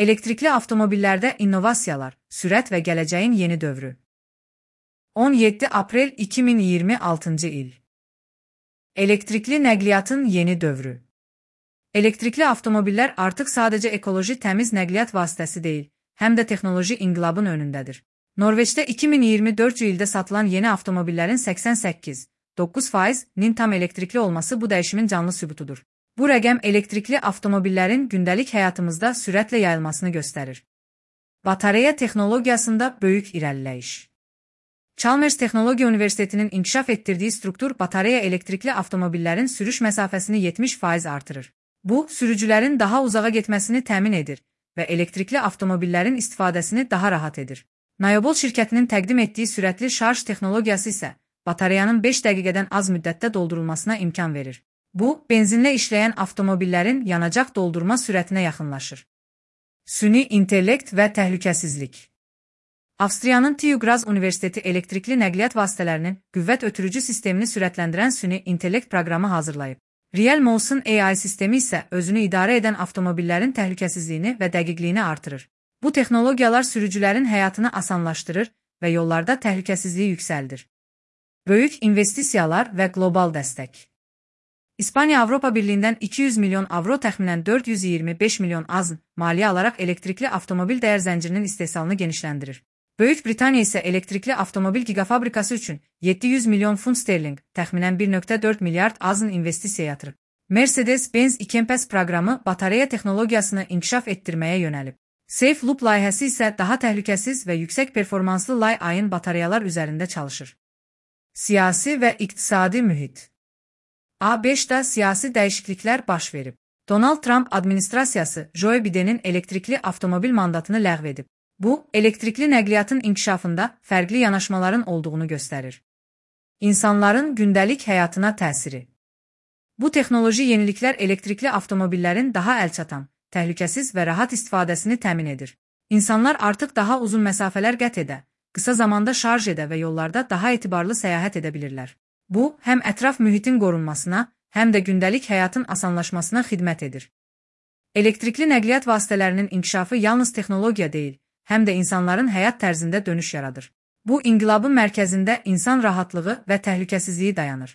Elektrikli avtomobillərdə innovasiyalar, sürət və gələcəyin yeni dövrü. 17 aprel 2026 il. Elektrikli nəqliyyatın yeni dövrü. Elektrikli avtomobillər artıq sadəcə ekoloji təmiz nəqliyyat vasitəsi deyil, həm də texnoloji inqilabın önündədir. Norveçdə 2024 ildə satılan yeni avtomobillərin 88,9%-nin tam elektrikli olması bu dəyişimin canlı sübutudur. Bu rəqəm elektrikli avtomobillərin gündəlik həyatımızda sürətlə yayılmasını göstərir. Batareya texnologiyasında böyük irəliləyiş. Chalmers Texnologiya Universitetinin inkişaf etdirdiyi struktur batareya elektrikli avtomobillərin sürüş məsafəsini 70% artırır. Bu, sürücülərin daha uzağa getməsini təmin edir və elektrikli avtomobillərin istifadəsini daha rahat edir. Nayobol şirkətinin təqdim etdiyi sürətli şarj texnologiyası isə batareyanın 5 dəqiqədən az müddətdə doldurulmasına imkan verir. Bu, benzinlə işləyən avtomobillərin yanacaq doldurma sürətinə yaxınlaşır. Süni intellekt və təhlükəsizlik. Avstriyanın TÜ Graz Universiteti elektrikli nəqliyyat vasitələrinin qüvvət ötürücü sistemini sürətləndirən süni intellekt proqramı hazırlayıb. Real Motion AI sistemi isə özünü idarə edən avtomobillərin təhlükəsizliyini və dəqiqliyini artırır. Bu texnologiyalar sürücülərin həyatını asanlaşdırır və yollarda təhlükəsizliyi yüksəldir. Böyük investisiyalar və qlobal dəstək. İspaniya Avropa Birliyindən 200 milyon avro təxminən 425 milyon AZN maliyyə alaraq elektrikli avtomobil dəyər zəncirinin istehsalını genişləndirir. Böyük Britaniya isə elektrikli avtomobil gigafabrikası üçün 700 milyon funt sterling, təxminən 1,4 milyard AZN investisiya yatırıb. Mercedes-Benz Ikenpes proqramı batareya texnologiyasını inkişaf etdirməyə yönəlib. Safe Loop layihəsi isə daha təhlükəsiz və yüksək performanslı li-ion batareyalar üzərində çalışır. Siyasi və iqtisadi mühit. ABŞ-da siyasi dəyişikliklər baş verib. Donald Trump administrasiyası Joe Bidenin elektrikli avtomobil mandatını ləğv edib. Bu, elektrikli nəqliyyatın inkişafında fərqli yanaşmaların olduğunu göstərir. İnsanların gündəlik həyatına təsiri. Bu texnoloji yeniliklər elektrikli avtomobillərin daha əlçatan, təhlükəsiz və rahat istifadəsini təmin edir. İnsanlar artıq daha uzun məsafələr qət edə, qısa zamanda şarj edə və yollarda daha etibarlı səyahət edə bilirlər. Bu, həm ətraf mühitin qorunmasına, həm də gündəlik həyatın asanlaşmasına xidmət edir. Elektrikli nəqliyyat vasitələrinin inkişafı yalnız texnologiya deyil, həm də insanların həyat tərzində dönüş yaradır. Bu, inqilabın mərkəzində insan rahatlığı və təhlükəsizliyi dayanır.